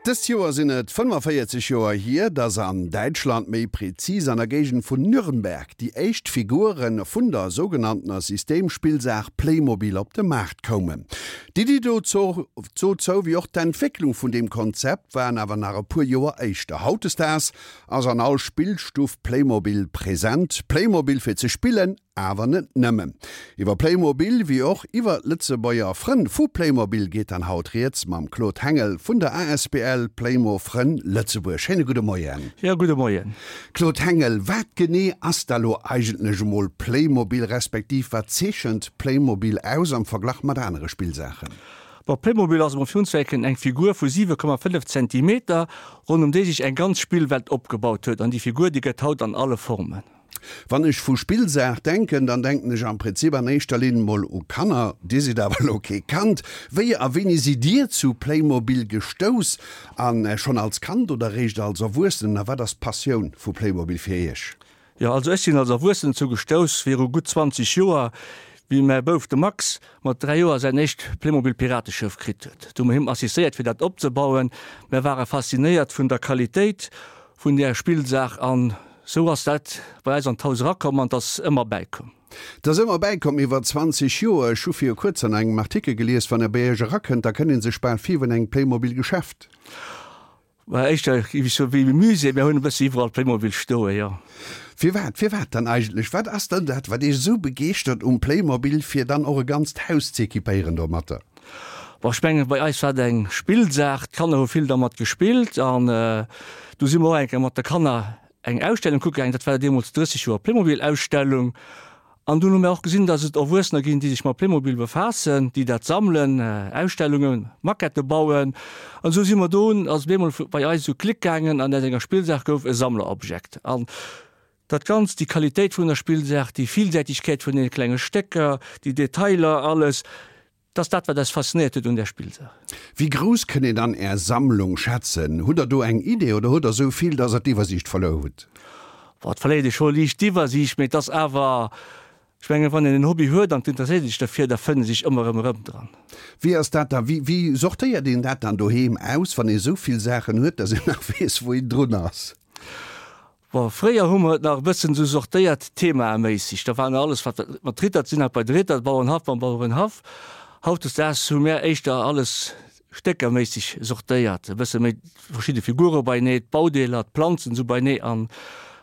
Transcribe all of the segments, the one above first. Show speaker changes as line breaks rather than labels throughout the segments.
Dëst Joer sinn et 45 Joer hier, dass an Däitschland, méi prezis an der Géigend vun Nürnberg, déi éischt Figure vun der sougenanntener Systemspillsaach Playmobil op de Maart koumen. D'Iddi dozou wéi och d'Entwécklung vun deem Konzept waren awer nach e puer Joer éischter. Hautdesdaags ass an all Spillstuff Playmobil present. Playmobil fir ze spillen, Awer net nëmmen. Iwwer Playmobil wéi och iwwer d'Lëtzebuerger Frënn vu Playmobil geet dann haut rieds mam Claude Hengel vun der asbl Playmo Frënn Lëtzebuerg. Schéine gudde Moien.
Jo, gudde Moien.
Claude Hengel, wat genee ass da lo eigentlech emol Playmobil, respektiv wat zeechent Playmobil aus am Verglach mat anere Spillsaachen?
Bon, Playmobil ass emol virun Zwecken eng Figur vu 7,5 Zentimeter, ronn ëm déi sech eng ganz Spillwelt opgebaut huet. An déi Figur, déi gëtt haut an alle Formen.
Wann ech vu Spillsaach denken, dann denken ech am Prinzip an éischter Linn mol u Kanner. Dir sidd awer elo kee Kand. Wéi a wéini sidd Dir zu Playmobil gestouss? A schonn als Kand oder eréischt als Erwuessenen? A wat ass d'Passioun vu Playmobil fir Iech?
Jo, also ech sinn als Erwuessenen dozou gestouss viru gutt 20 Joer, wéi mäi Bouf, de Max, mat 3 Joer säin éischt Playmobil-Pirateschëff kritt huet. Do hu mer him assistéiert fir dat opzebauen. Mär ware faszinéiert vun der Qualitéit vun där Spillsaach an Sou ass dat bei eis an d'Haus erakomm an 't ass ëmmer bäikomm.
't ass ëmmer bäikomm iwwer 20 Joer. Ech hu viru kuerzem an engem Artikel gelies, wann e bei Iech erakënnt, da kënnt ee sech bal vir wéi an engem Playmobil-Geschäft.
Mä éischter géif ech soen, wéi e Musée. Mir hunn e bësse iwwerall Playmobil stoen, jo.
Firwat, firwat dann eigentlech? Wat ass dann dat, wat Iech esou begeeschtert um Playmobil, fir dann och e ganzt Haus z'equipéieren domatter?
Bon, ech mengen, bei eis war et eng Spillsaach. D'Kanner hu vill dermat gespillt an du si mer och eng Kéier mat de Kanner eng Ausstellung kucke gaangen. Dat war deemools 30 Joer Playmobil-Ausstellung. An dunn hu mir och gesinn, datt et Erwuessener ginn, déi sech mat Playmobil befaassen, déi dat sammelen, Ausstellungen, Maquettë bauen. An esou si mer do, ass op eemol bei eis esou Klick gaangen an aus enger Spillsaach gouf e Sammlerobjekt. An dat Ganzt, déi Qualitéit vun der Spillsaach, déi Villsäitegkeet vun deene klenge Stécker, déi Detailer, alles, dat ass dat, wat eis faszinéiert huet un där Spillsaach.
Wéi grouss kënnt een dann Är Sammlung schätzen? Hutt Der do eng Idee oder hutt Der esou vill, dass Der d'Iwwersiicht verluer hutt?
Bon, et verléiert ee scho liicht d'Iwwersiicht, mee et ass awer, ech mengen, wann een en Hobby huet an et interesséiert ee sech derfir, da fënnt ee sech ëmmer erëm erëm dran.
Wéi ass dat da, wéi, wéi sortéiert een dat dann doheem aus, wann ee esou vill Saachen huet, dass een nach weess, wou een drun ass?
Bon, fréier hu mer et nach e bëssen esou sortéiert themaméisseg. Da war alles wat mat Ritter ze dinn hat bei de Ritter, Bauernhaff beim Bauerenhaff. Hautdesdaags hu mär éischter alles stéckerméisseg sortéiert, e bësse méi verschidde Figure beienee, d'Baudeeler, d'Planzen esou beienee. An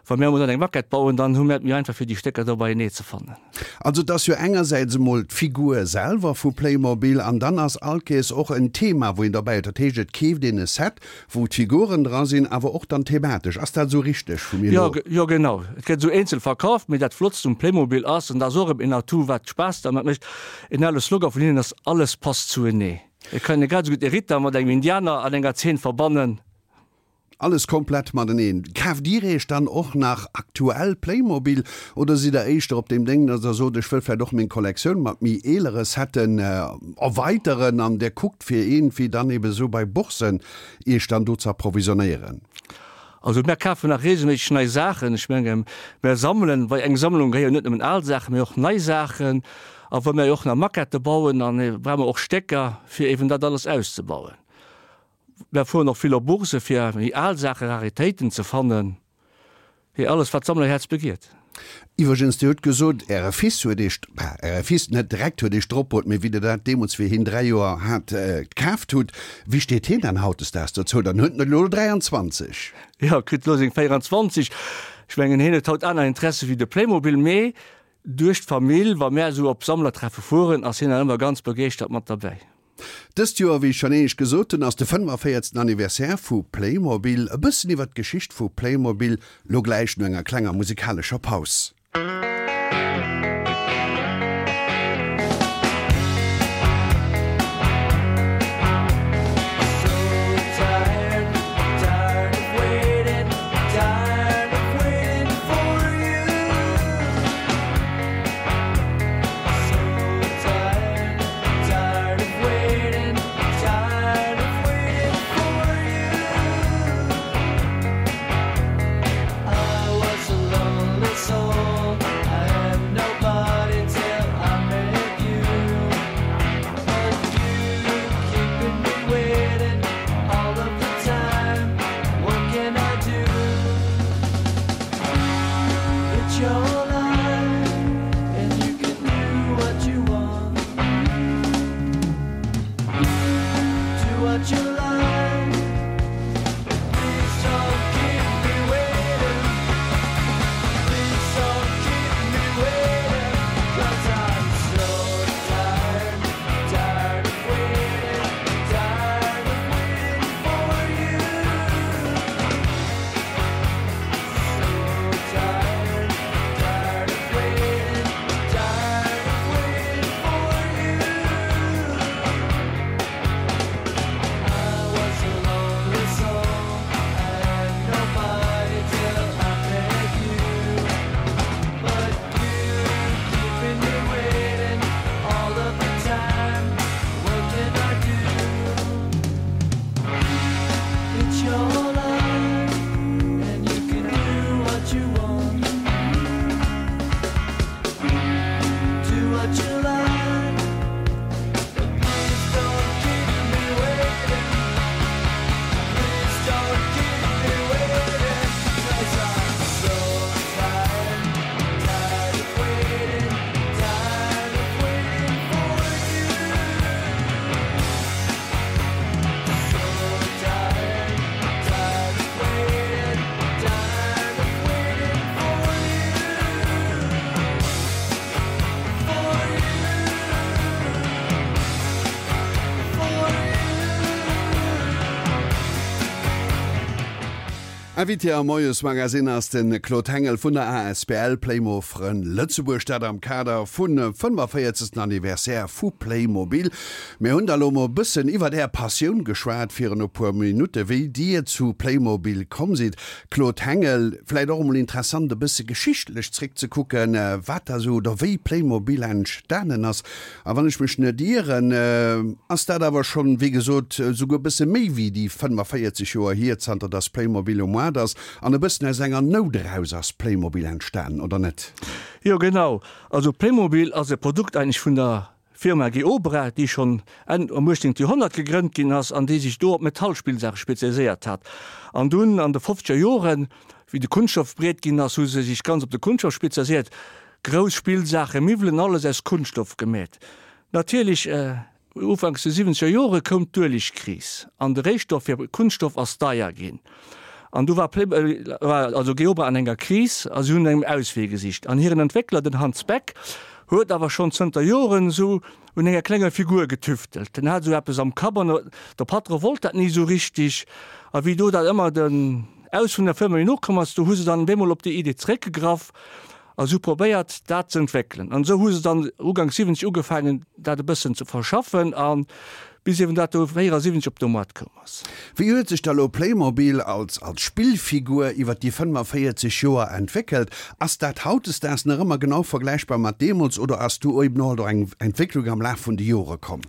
wa mär emol dann eng Maquette bauen, dann hu mär et méi einfach fir déi Stécker do beienee ze fannen.
Also et ass jo engersäits emol d'Figur selwer vu Playmobil an dann ass all Kees och en Thema wou een derbäi huet. Dat heescht et keeft een e Set wou d'Figuren dra sinn, awer och dann thematesch. Ass dat esou richteg vu mir
elo? Jo, genau. Et gëtt esou eenzel verkaf, mee dat Flottst um Playmobil ass, an dat ass och erëm een Atout wat Spaass dermat mécht, en ale Slogan vun hinnen ass, Alles passt zuenee. Et kann ee grad esou gutt e Ritter mat engem Indianer an enger Zeen verbannen.
Alles komplett mateneen. Kaaft Dir Iech dann och nach aktuell Playmobil oder sidd Der éischter op deem Déng, dass Der sot, ech wëll vläicht och meng Kollektioun mat méi eelere Setten erweiteren an Der kuckt fir iergendwéi dann eben esou bei Boursen Iech dann do ze approvisionnéieren?
Also mär kafen nach regelméisseg nei Saachen. Ech menge mär sammelen, bei eng Sammlung gehéieren net nëmmen al Saachen, mee och nei Saachen. A wa mär jo och nach Maquettë bauen, dann brauche mer och Stécker fir eben dat alles auszebauen. Mär fueren och vill op Bourse fir méi al Saachen, Raritéiten ze fannen. Hee, alles wat d'Sammlerhäerz begiert.
Iwwregens, Dir hutt gesot, Äre Fils huet Iech, bah, Äre Fils net direkt huet Iech dropbruet, mee wéi Der dat deemools, wéi hien 3 Joer hat, kaaft hutt. Wéi steet hien dann hautdesdaags dozou? Dann huet en elo 23.
Jo, kritt elo seng 24. Ech mengen, hien huet haut aner Interesse wéi de Playmobil, mee duerch d'Famill, wa mär esou op Sammlertreffe fueren, ass hien dann ëmmer ganz begeeschtert mat derbäi.
Dëst Joer, wéi ech schonn éinescht gesot hunn, ass de 45. Anniversaire vu Playmobil. E bëssen iwwer d'Geschicht vu Playmobil lo gläich no enger klenger musikalescher Paus. Invité am Moiesmagazine ass de Claude Hengel vun der asbl Playmo Frënn Lëtzebuerg, dat am Kader vun 45. Anniversaire vu Playmobil. Mir hunn da lo mol e bëssen iwwert Är Passioun geschwat virun e puer Minutte, wéi Dir zu Playmobil komm sidd. Claude Hengel, vläit och emol interessant e bësse geschichtlech zréckzekucken, wat da sou oder wéi Playmobil entstanen ass. A wann ech mech net ieren, ass dat awer schonn, wéi gesot, souguer e bësse méi wéi déi 45 Joer hier, zanter dass Playmobil um Moart ass. An e bëssen aus enger Nout eraus ass Playmobil entstanen, oder net?
Jo, genau. Also Playmobil ass e Produkt eigentlech vun der Firma Geobra, déi schonn Enn am 18. Joerhonnert gegrënnt ginn ass an déi sech do op Metallspillsaache spezialiséiert hat. An dunn an de fofzeger Joren, wéi de Kunststoff breet ginn ass, hu se sech ganz op de Kunststoff spezialiséiert. Grouss Spillsaachen, Miwwelen, alles aus Kunststoff gemeet. Natierlech, ufanks de siwwenzeger Jore koum d'Uelegkris an de Réistoff fir Kunststoff ass deier ginn. An du war war also Geobra an enger Kris a si hunn no engem Auswee gesicht. An hiren Entwéckler, den Hans Beck, huet awer schonn zënter Joren esou un enger klenger Figur getüftelt. Den hat esou eppes am Kapp an de Patron wollt dat ni esou richtig. A wéi do dat ëmmer den Aus vun der Firma méi no komm ass, do hu se dann bemol op déi Idee zeréckgegraff A se hu probéiert, dat ze entwéckelen. An esou hu se dann uganks 70 ugefaangen, dat e bëssen ze verschaffen, a bis eben dat do 74 op de Moart koum ass.
Wéi huet sech da lo Playmobil als als Spillfigur iwwer déi 45 Joer entwéckelt? Ass dat hautdesdaags nach ëmmer genau vergläichbar mat deemools oder ass do eben och alt eng Entwécklung am Laf vun de Jore komm?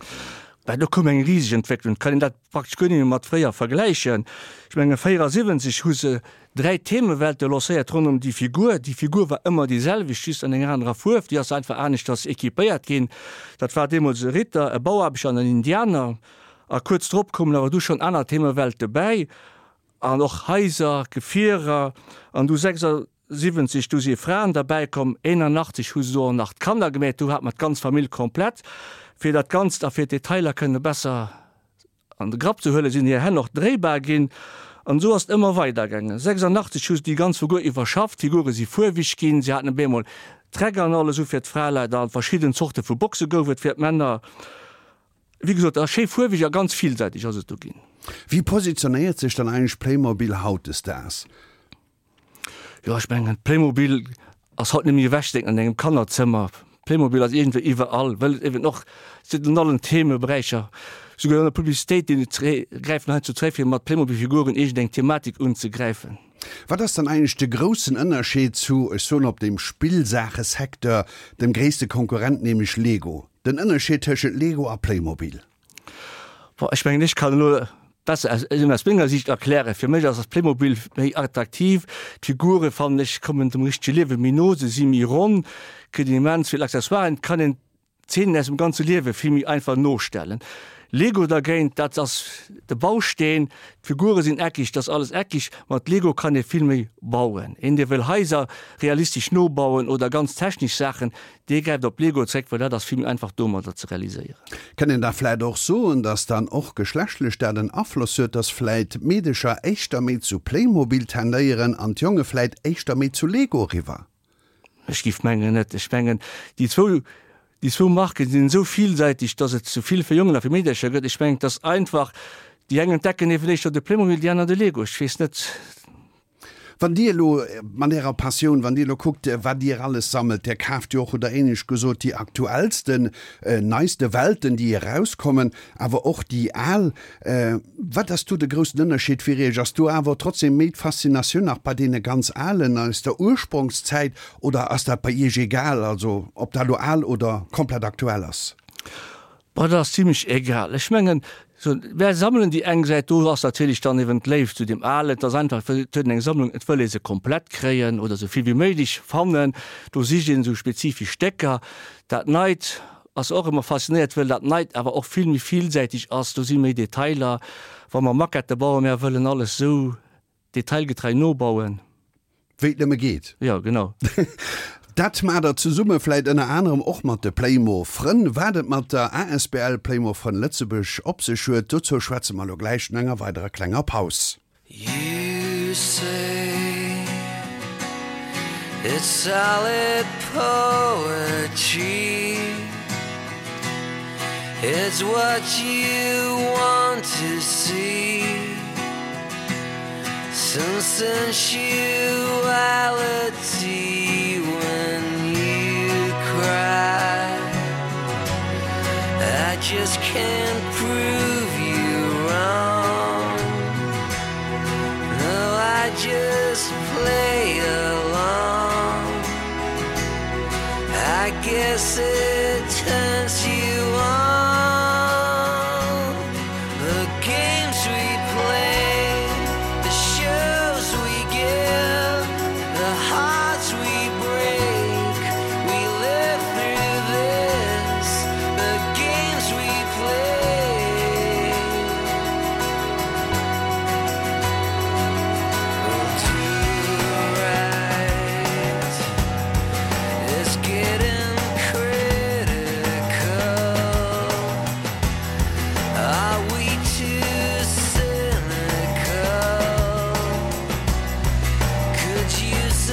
Bah, do koum eng riseg Entwécklung. Et kann een dat praktesch guer net méi mat fréier vergläichen. Ech menge 74 hu se Dräi Themewelte lancéiert ronderëm déi Figur. Déi Figur war ëmmer déi selwecht, just an enger anerer Fuerf. Déi ass einfach aneschters equipéiert ginn. Dat war deemools e Ritter, e Bauaarbechter an en Indianer. A kuerz drop koumen awer du schonn aner Themewelte bäi an och Haiser, Gefierer. An du 76, du si Fraen derbäi komm. 81 hu se do och nach d'Kanner gemeet. Du hat mer d'ganz Famill komplett. Fir dat Ganzt a fir d'Detailer kënne besser An de Grapp ze huelen, sinn hir Hänn och dréibar ginn. An esou ass et ëmmer weider gaangen. 86 hu se déi ganz Figur iwwerschafft, d'Figure si fuerweg ginn, si haten op eemol Träck an alles u fir d'Fraleit an verschidden Zorte vu Boxe gouf et fir d'Männer. Wéi gesot, a schéi fuerweg a ganz villsäiteg ass et du ginn.
Wéi positionéiert sech dann eigentlech Playmobil hautdesdaags?
Jo, ech mengen, Playmobil ass haut net méi ewechzedenken an engem Kannerzëmmer. Playmobil ass iergendwéi iwwerall, well et eben och se an allen Themeberäicher, souguer an der Publicitéit, déi gräifen heiansdo zeréck, fir mat Playmobil-Figuren iergendeng Thematik unzegräifen.
Wat ass dann eigentlech de groussen Ënnerscheed zu, ech soen op dem Spillsaachesecteur, dem gréisste Konkurrent, nämlech Lego? Den Ënnerscheed tëschent Lego a Playmobil?
Bon, ech mengen, ech kann elo besser aus, aus menger Siicht erklären. Fir mech ass das Playmobil méi attraktiv. D'Figure fannen ech kommen dem richtege Liewe méi no, se si méi ronn, kritt een immens vill Accessoiren, et kann een Zeenen aus dem ganze Liewe vill méi einfach nostellen. Lego dergéint, dat ass de Bausteen, d'Figure sinn eckig, dat ass alles eckig. Mat Lego kann ee vill méi bauen. Een, dee wëll Haiser realistesch nobauen oder ganz technesch Saachen, Dee gräift op Lego zréck, well dat ass vill méi einfach domadder ze realiséieren.
Kënnt een da vläit och soen, dass dann och geschlechtlech dat en Afloss huet, dass vläit d'Meedecher éischter méi zu Playmobil tendéieren an d'Jonge vläit éischter méi zu Lego eriwwer?
Ech géif mengen net. Ech mengen déi zwou, déi zwou Marken sinn esou villsäiteg, dass et sou vill fir Jongen a fir Meedercher gëtt. Ech mengen et ass einfach, déi eng entdecken eben éischter de Playmobil, déi aner de Lego. Ech weess net.
Wann Dir elo mat Ärer Passioun, wann Dir elo kuckt, wat Dir alles sammelt, Dir kaaft jo och, hutt Der éinescht gesot, déi aktuellsten, neiste Welten, déi erauskommen, awer och déi al. Wat ass do de groussen Ënnerscheed fir Iech? Ass do awer trotzdem méi d'Faszinatioun nach bei deene ganz alen aus der Ursprongszäit oder ass dat bei Iech egal, also ob dat elo al oder komplett aktuell ass?
Boah, dat ass zimlech egal. Ech mengen, sou, mär sammelen déi eng Säit, do ass natierlech dann eben d'Léift zu deem Alen, et ass einfach, et huet een eng Sammlung, et wëll ee se komplett kréien oder sou vill wéi méiglech fannen, do sicht een esou spezifesch Stécker. Dat Neit ass och ëmmer faszinéiert, wëll dat Neit awer och vill méi villsäiteg ass, do si méi Detailer. Wa mer Maquette bauen, mär wëllen alles sou Detailgetrei nobauen.
Wéi et nëmme geet.
Jo, genau.
Dat maacht der zesumme vläit ënner anerem och mat de Playmo Frënn. Wat et mat der asbl Playmo Frënn Lëtzebuerg op sech huet, dozou schwätze mer elo gläich no enger weiderer klenger Paus.
You say it's solid poetry It's what you want to see. Some sensuality when you cry. I just can't prove you wrong. No, I just play along. I guess it turns you on. The games we play, the shows we give, the hearts we break. We live through this, the games we play. Oh, to right is getting critical. Are we too cynical? Could use a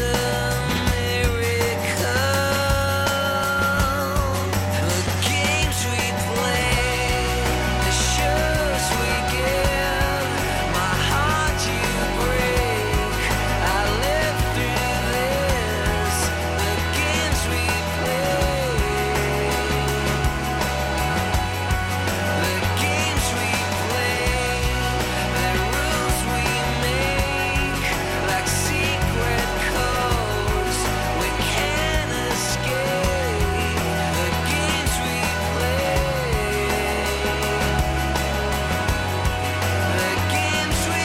miracle. The games we play, the shows we give, my heart you break. I live through this. The games we play. The games we play, the rules we make, like secret codes we can't escape. The games we play, the games we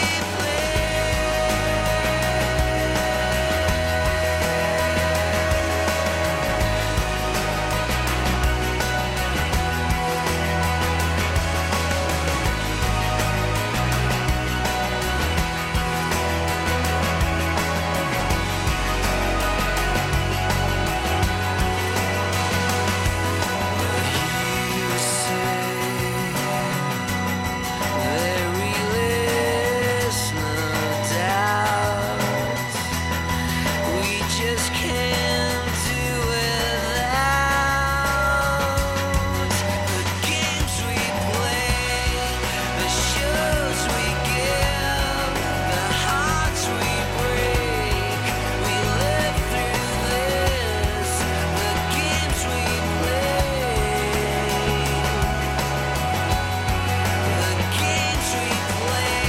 You say there really is no doubt. We just can't do without the games we play, the shows we give, the hearts we break. We live through this, the games we play. The games we play,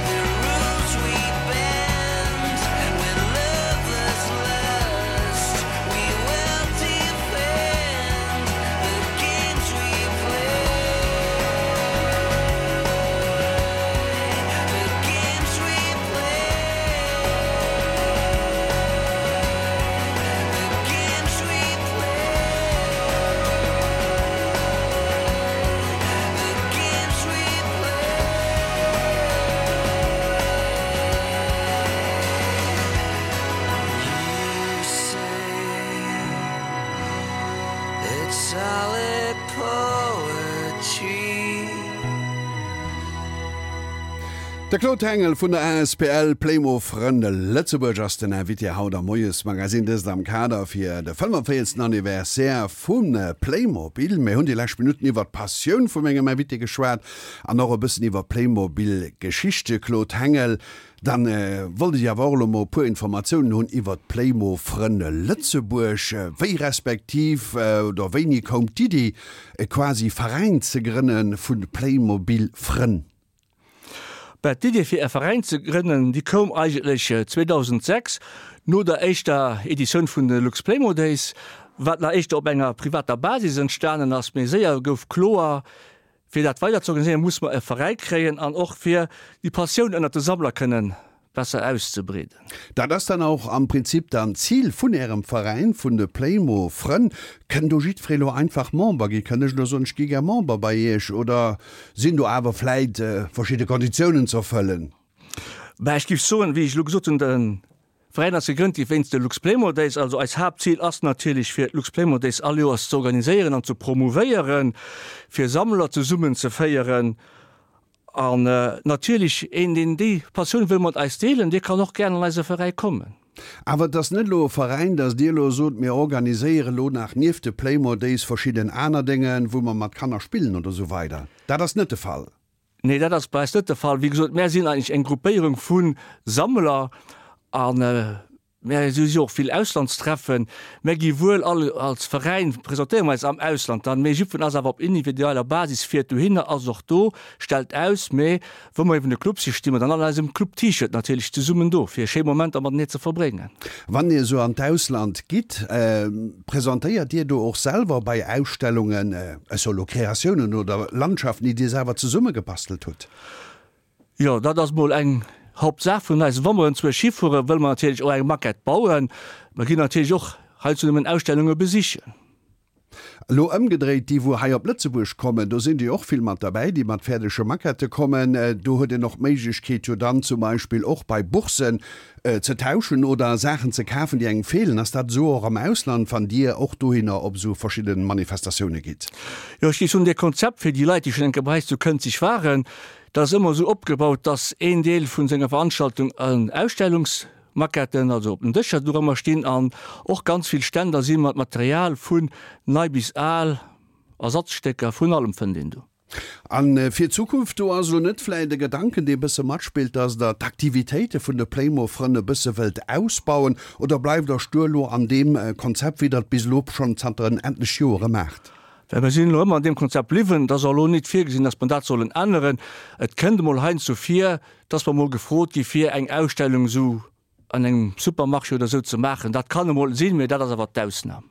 the rules we bend. When love is lust, we will defend. The games we play, the games we play, the games we play. The games we play. You say it's solid poetry.
De Claude Hengel vun der asbl Playmo Frënn Lëtzebuerg ass den Invité haut am Moiesmagazin, dëst am Kader fir de 45. Anniversaire vu Playmobil. Mir hunn déi lescht Minutten iwwer d'Passioun vu mengem Invité geschwat an och e bëssen iwwer Playmobil-Geschichte. Claude Hengel, dann wollt ech awer och elo mol e puer Informatiounen hunn iwwer d'Playmo Frënn Lëtzebuerg. Wéi respektiv oder wéini koum d'Iddi e quasi Veräin ze grënne vu Playmobil Frënn?
Ben, d'Idee fir e Veräin ze grënnen, déi koum eigentlech 2006 no der éischter Editioun vun de Luxplaymo Days, wat nach éischter op enger privater Basis entstanen ass. Mee séier gouf kloer, fir dat weider ze organiséieren, musse mer e Veräi kréien an och fir déi Passioun ënnert de Sammler kënnen besser auszebreeden.
Dat ass dann och am Prinzip dann d'Zil vun Ärem Veräin, vun de Playmo Frënn. Kënn do jiddweree lo einfach Member gi? Kënn ech lo soen, ech gi gär Member bei Iech oder sinn do awer vläit verschidde Konditiounen ze erfëllen?
Bah, ech géif soen, wéi ech elo gesot hunn, de Veräin ass gegrënnt gi wéinst de Luxplaymo Days. Also eis Haaptzil ass natierlech fir d'Luxplaymo Days all Joers ze organiséieren an ze promouvéieren, fir Sammler zesummenzeféieren. An natierlech, een deen déi Passioun wëll mat eis deelen, dee kann och gären an eise Veräi kommen.
Awer et ass net elo e Veräin, datt Dir elo sot, mir organiséiere elo nach nieft de Playmo Days verschidden aner Dénge wou mer mat Kanner spillen oder esou weider. Dat ass net de Fall.
Nee, dat ass bei eis net de Fall. Wéi gesot, mär sinn eigentlech eng Gruppéierung vu Sammler a mär si jo och vill Auslandstreffen. Mär gi wuel all als Veräin, presentéiere mer eis am Ausland dann, mee jiddwereen ass awer op individueller Basis, fiert dohinner, ass och do, stellt aus. Mee wou mer eben e Club si, sti mer dann all an eisem Club-T-Shirt natierlech zesummen do, fir schéi Momenter matenee ze verbréngen.
Wann Dir esou an d'Ausland gitt, presentéiert Dir do och selwer bei Ausstellungen, ech soe lo Kreatiounen oder Landschaften, déi Dir selwer zesummegebastelt hutt?
Jo, dat ass mol eng Hauptsaach vun eis. Wa mer enzwousch hifueren, wëlle mer natierlech och eng Maquette bauen. Mer ginn natierlech och heiansdo nëmmen Ausstellunge besichen.
Elo ëmgedréit, déi wou hei op Lëtzebuerg kommen, do sinn déi och vill mat derbäi, déi mat fäerdege Maquettë kommen. Do huet een och d'Méiglechkeet jo dann zum Beispill och bei Boursen ze tauschen oder Saachen ze kafen, déi engem feelen. Ass dat esou och am Ausland, wann Dir och dohinner op esou verschidde Manifestatioune gitt?
Jo, ech géif soen, dee Konzept fir déi Leit, déi schonn eng Kéier bei eis zu Kënzeg waren, dat ass ëmmer esou opgebaut, dass een Deel vu senger Veranstaltung en Ausstellungs Maquetten, also op den Dëscher dorëmmer stinn an och ganz vill Ständer si mat Material vun nei bis al, Ersatzstécker, vun allem fënnt een do.
A fir d'Zukunft, do ass elo net vläit e Gedanken, dee bësse matspillt, dass Der d'Aktivitéite vun de Playmo-Frënn e bësse wëllt ausbauen, oder bleift Der stur elo an deem Konzept, wéi Der et bis elo schonn zanter en etlech Joere maacht?
Well mir sinn elo ëmmer an deem Konzept bliwwen. Et ass och elo nit virgesinn, dass mer dat sollen änneren. Et kënnt emol heiansdo vir, dass mer emol gefrot gi fir eng Ausstellung esou an engem Supermarché oder esou ze maachen. Dat kann emol sinn, mee dat ass awer d'Ausnam.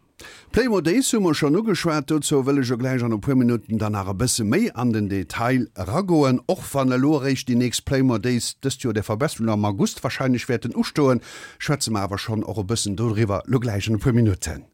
Playmo Days hu mer schonn ugeschwat. Dozou wëll ech jo gläich an e puer Minutten dann nach e bësse méi an den Detail eragoen. Och wann elo eréischt déi nächst Playmo Days dëst Joer, der Verbesserung, am August wahrscheinlech wäerten ustoen, schwätze mer awer schonn och e bëssen doriwwer elo gläich an e puer Minutten.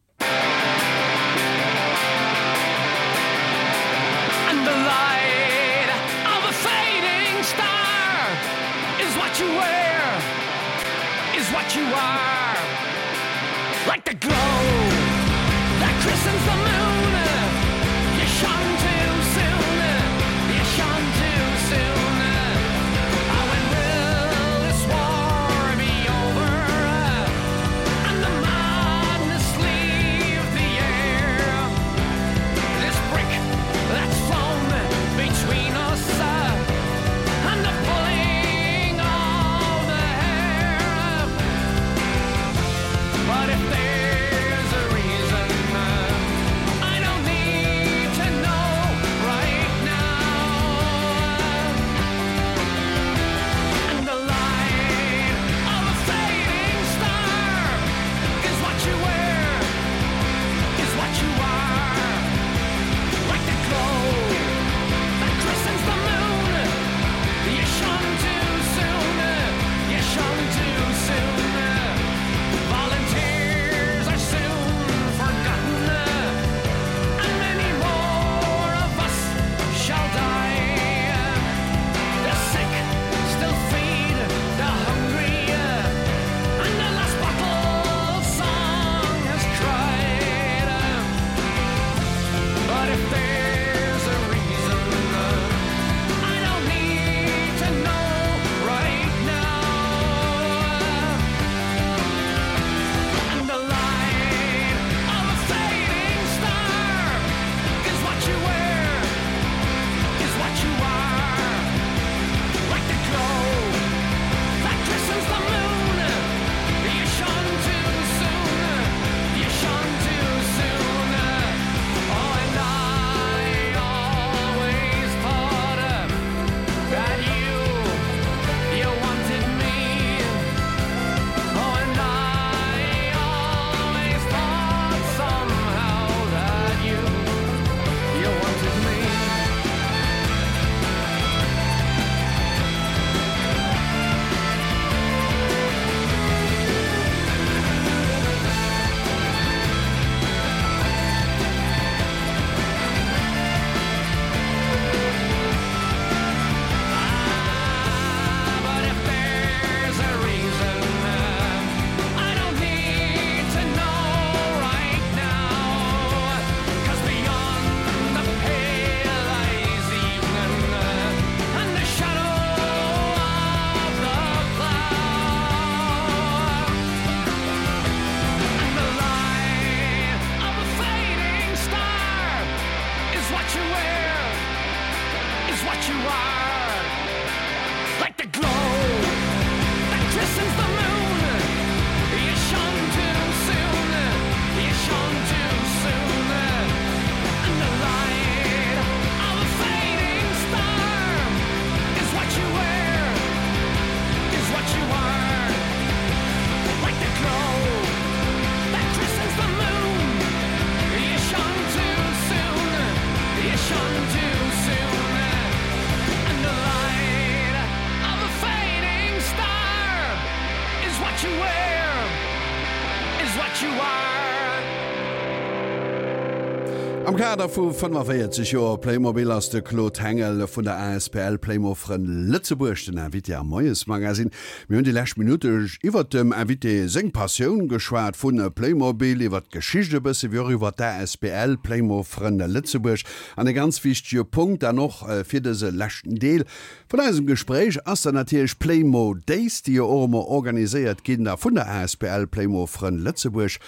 Am Kader vu 45 Joer Playmobil ass de Claude Hengel vun der asbl Playmo-Frënn Lëtzebuerg den Invité am Moiesmagazine. Mir hunn déi lescht Minutte iwwert dem Invité seng Passioun geschwat vu Playmobil, iwwert d'Geschicht e bësse wéi och iwwert d'asbl Playmo-Frënn Lëtzebuerg. An e ganz wichtege Punkt dann och fir dëse leschten Deel vun eisem Gespréich ass dann natierlech Playmo Days, déi jo och ëmmer organiséiert ginn da vun der asbl Playmo-Frënn Lëtzebuerg.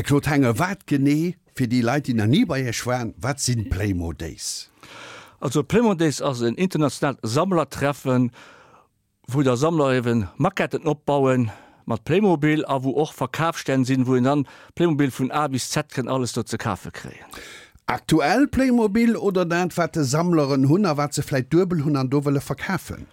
Claude Hengel, wat genee Fir déi Leit, déi nach ni bei Iech waren, wat sinn d'Playmo Days?
Also d'Playmo Days ass en internationaalt Sammlertreffen, wou da Sammler eben Maquetten opbauen mat Playmobil a wou och Verkafsstänn sinn, wou een dann Playmobil vun A bis Z kënnt alles do ze kafe kréien.
Aktuell Playmobil oder dat wat de Sammleren hunn a wat se vläit duebel hunn an do wëlle verkafen?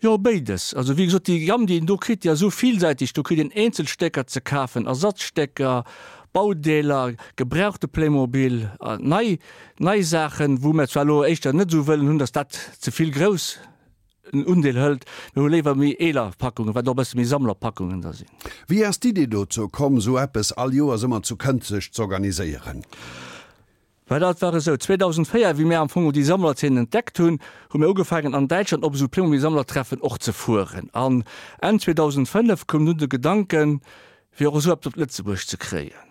Jo, béides. Also wéi gesot, déi Gamme, déi een do kritt, déi ass esou villsäiteg. Do kritt een Eenzelstécker ze kafen, Ersatzstécker, Baudeeler, gebrauchte Playmobil, nei, nei Saachen, wou mir zwar elo éischter net esou wëllen hunn, datt dat ze vill grouss en Undeel hëlt. Mir hu léiwer méi eeler Packungen, wat och e bësse méi Sammlerpackungen da sinn.
Wéi ass d'Idee dozou komm, esou eppes all Joers ëmmer zu Kënzeg z'organiséieren?
Well dat war esou, 2004, wéi mir am Fong déi Sammlerzeen entdeckt hunn, hu mir ugefaangen an Däitschland op esou Playmobil-Sammlertreffen och ze fueren. An Enn 2005 koum dunn de Gedanken, fir och esou eppes op Lëtzebuerg ze kréien.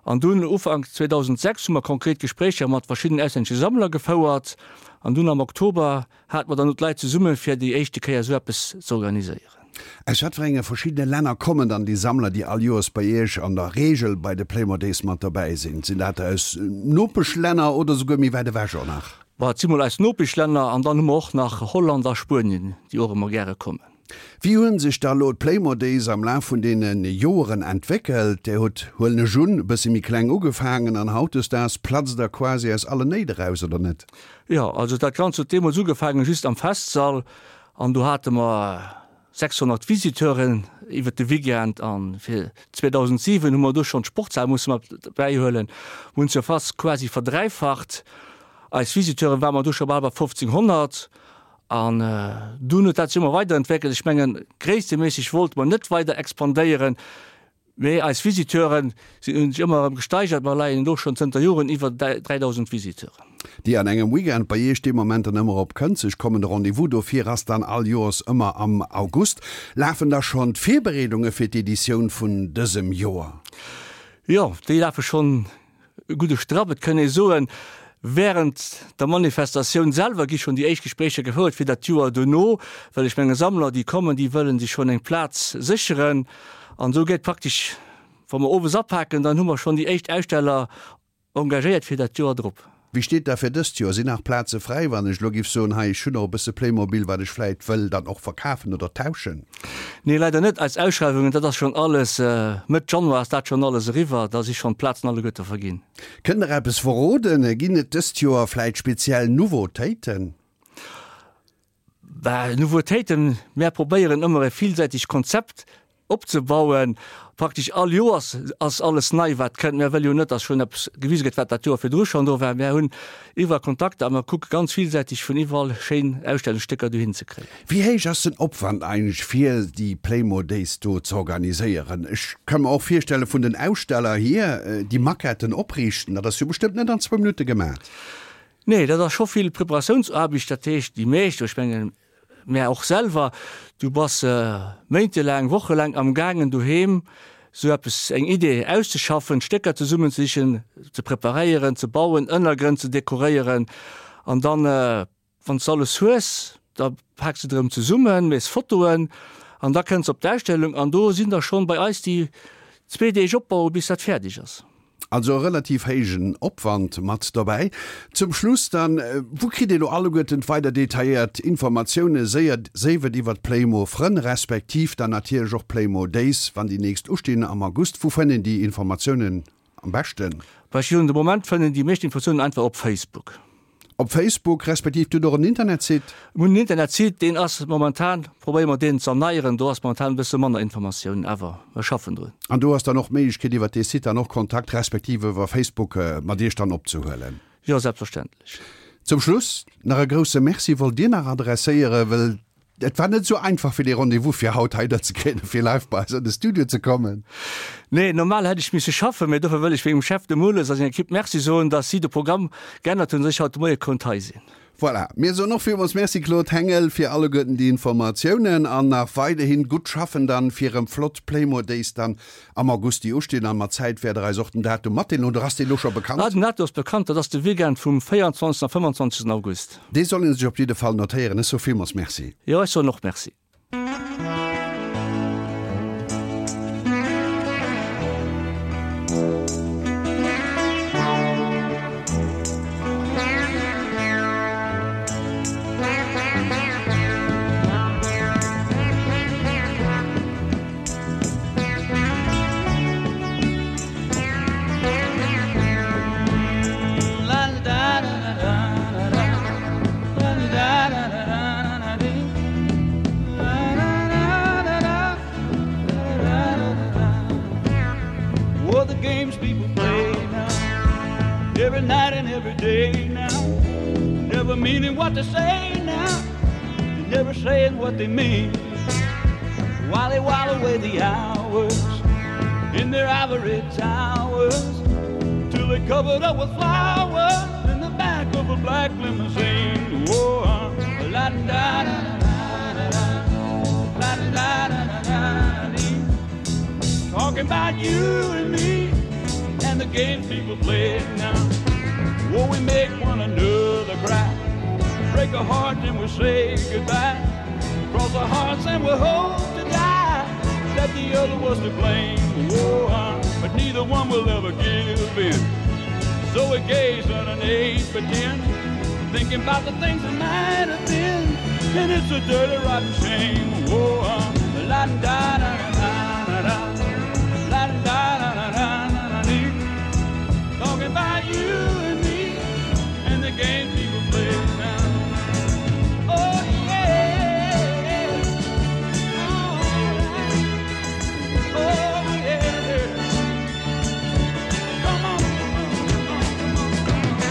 An dunn Ufank 2006 hu mer konkret Gespréicher mat verschiddenen auslännesche Sammler gefouert. An dunn am Oktober hate mer dann och d'Leit zesumme fir déi éischte Kéier esou eppes z'organiséieren.
Aus wat fir enge verschiddene Länner kommen dann déi Sammler, déi all Joers bei Iech an der Reegel bei de Playmo Days mat dobäi sinn? Sinn dat aus Nopeschlänner oder souguer méi wäit ewech och nach?
Bon, et si mol aus Nopeschlänner an dann hu mer och nach Holland a Spuenien, déi och ëmmer gäre kommen.
Wéi hu sech da lo d'Playmo Days am Laf vun deene Joeren entwéckelt? Där hutt, huelen ech un, e bësse méi kleng ugefaangen an hautdesdaags platzt der quasi aus allen Néit eraus, oder net?
Jo, also dat Ganzt huet deemools ugefaangen just am Festsall an do hate mer 600 Visiteuren iwwert de Weekend an fir 2007 hu mer do schonn d'Sportshal musse mat bäihuelen. Mir hunn d'Surface quasi verdräifacht. Eis Visiteuren ware mer do scho bal bei 1500 an dunn huet dat sech ëmmer weiderentwéckelt. Ech mengen, gréissteméisseg wollte mer net weider expandéieren, Mee eis Visiteuren si hunn sech ëmmer erëm gesteigert. Mer leien elo schonn zënter Joren iwwer 3.000 Visiteuren.
Déi an engem Weekend bei Iech dee Moment dann ëmmer op Kënzeg kommen. De Rendez-vous dofir ass dann all Joers ëmmer am August. Lafen da schonn d'Virbereedunge fir d'Editioun vun dësem Joer?
Jo, déi lafe schonn E gudde Strapp, et kënn ee soen, während der Manifestatioun selwer gi schonn déi éischt Gespréicher gefouert fir dat Joer dono, well ech menge Sammler, déi kommen, déi wëllen sech schonn eng Plaz sécheren. An esou gétt praktesch, wa mer owes apaken, dann hu mer schonn déi éischt Aussteller engagéiert fir dat Joer drop.
Wéi steet da fir dëst Joer? Sinn nach Plaze fräi, wann ech elo giff soen, hei ech hunn och e bësse Playmobil, wat ech vläit wëll dann och verkafen oder tauschen?
Nee, leider net. Eis Ausschreiwungen, dat ass schonn alles, Mëtt Januar ass dat schonn alles eriwwer, da si schonn d'Plazen alleguerte verginn.
Kënnt Der eppes verroden? Ginn et dëst Joer vläit speziell Nouveautéiten?
Bah, Nouveautéiten, mär probéieren ëmmer e villsäitegt Konzept opzebauen. Praktesch all Joers ass alles nei wat kënnt. Mär wëlle jo net, datt schonn eppes gewise gëtt, wat dat Joer virdru schonn do war. Mär hunn iwwerall Kontakter a mer kucke ganz villsäiteg vun iwwerall schéin Ausstellungsstécker dohin ze kréien.
Wéi héich ass den Opwand eigentlech fir déi Playmo Days do ze organiséieren? Ech ka mer och virstelle vun den Aussteller hier, déi Maquetten opriichten, dat ass jo bestëmmt net an zwou Minutte gemat.
Nee, dat ass scho vill Preparatiounsaarbecht. Dat heescht, déi meescht, ech mengen mär och selwer, du bass méintelaang, wochelaang am gaangen doheem esou eppes, eng Idee auszeschaffen, d'Stécker zesummenzesichen, ze preparéieren, ze bauen, Ënnergrënn ze dekoréieren an dann, wann s de alles hues, da paaks de et erëm zesummen, méchs Fotoen an da kënns op d'Ausstellung an do sinn der schonn bei eis déi zwee Deeg opbauen, bis dat fäerdeg ass.
Also e relativ héijen Opwand mat dobäi. Zum Schluss dann, Wou kritt ee lo alleguerten d'weider detailléiert Informatioune, séier, séif et iwwert d'Playmo Frënn, respektiv dann natierlech och Playmo Days, wann déi nächst ustinn am August? Wou fënnt een déi Informatiounen am beschten?
Bah, ech gesinn, de Moment fënnt een déi meescht Informatiounen einfach op Facebook.
Op Facebook, respektiv dir hutt och en Internetsite?
Mir hunn en Internetsite, deen ass momentan, probéiere mer deen z'erneieren, do ass momentan e bësse manner Informatiounen, awer mer schaffen drun.
An do ass dann och d'Méiglechkeet iwwer dee Site dann och Kontakt, respektiv iwwer Facebook mat Iech dann opzehuelen?
Jo, selbstverständlech.
Zum Schluss nach e grousse Merci wollt Dir nach adresséieren, wëll. Et war net esou einfach fir dee Rendez-vous fir haut hei der ze kréien, fir live bei eis an de Studio ze kommen.
Nee, normal hätt ech misse schaffen, mee dofir wëll ech mengem Chef, dem Mules, a senger Equipe Merci soen, dass si de Programm geännert hunn, dass ech haut de Moie konnt hei sinn.
Voilà, mir soen och villmools Merci Claude Hengel fir alleguerten déi Informatiounen an nach weiderhin gutt schaffen dann fir erëm flott Playmo Days dann am August déi ustinn an mat Zäit wäert der eis och den Datum matdeelen oder ass dee lo scho bekannt?
Ah, den Datum ass bekannt, dat ass de Weekend vum 24 a 25 August.
Dee soll een sech op jidde Fall notéieren. Ech soe villmools Merci.
Jo, ech soen och Merci.
Oh, the games people play now, every night and every day now, never meaning what they say now, and never saying what they mean. While they while away the hours in their ivory towers, till they covered up with flowers in the back of a black limousine. Whoa, uh, la da da da da da, la da da da da dee. Talking about you and me and the games people play now. Oh, we make one another cry, break a heart and we say goodbye. Cross our hearts and we hope to die that the other was to blame. Oh, uh, but neither one will ever give in. So we gaze at an 8 by 10, thinking about the things that might have been. And it's a dirty, rotten shame. Oh, uh, la da da da da da, la da da da da da dee. Talking about you and me and the games people play now. Oh yeah, oh yeah. Come on, come on, come on, come on.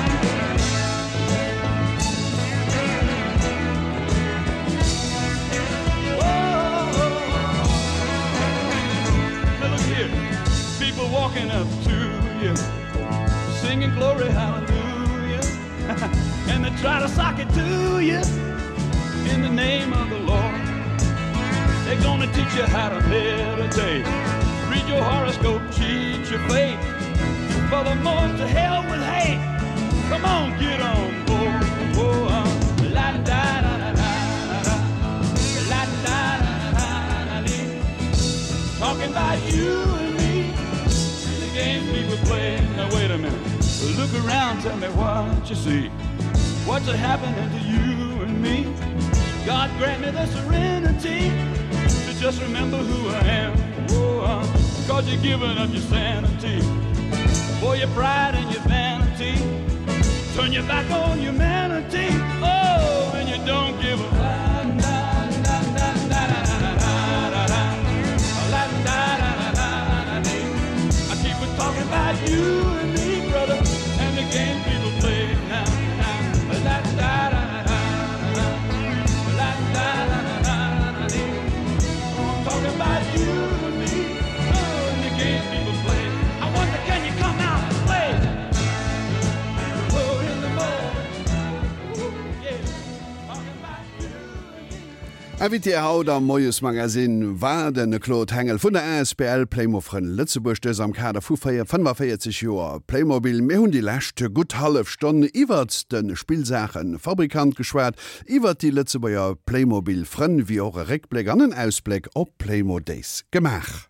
Whoa. Now look here, people walking up to you, singing glory hallelujah, and they try to sock it to you in the name of the Lord. They're gonna teach you how to meditate, read your horoscope, cheat your fate. Furthermore, to hell with hate. Come on, get on board. Whoa, uh, la da da da da da, la da da da da dee. Talking about you and me and the games people play. Now wait a minute. Look around, tell me what you see. What's happening to you and me? God grant me the serenity to just remember who I am. Whoa, uh, Cause you're giving up your sanity for your pride and your vanity. Turn your back on humanity. Oh, and you don't give a la da da da da da da da da. La da da da da da dee. I keep on talking about you and me, brother, and the game people play now. Now, la da da da da da, la da da da da da dee. I'm talking about you and me, oh, and the games people play. I wonder, can you come out and play? Oh, in the morning, Ooh, yeah. Talking about you and me.
Invité haut am Moiesmagazin war de Claude Hengel vun der asbl Playmo-Frënn Lëtzebuerg, dës am Kader vu 45 Joer Playmobil. Mir hunn déi lescht gutt hallef Stonn iwwert de Spillsaache-Fabrikant geschwat, iwwert déi Lëtzebuerger Playmobil-Frënn, wéi och e Réckbléck an en Ausbléck op d'Playmo Days gemaach.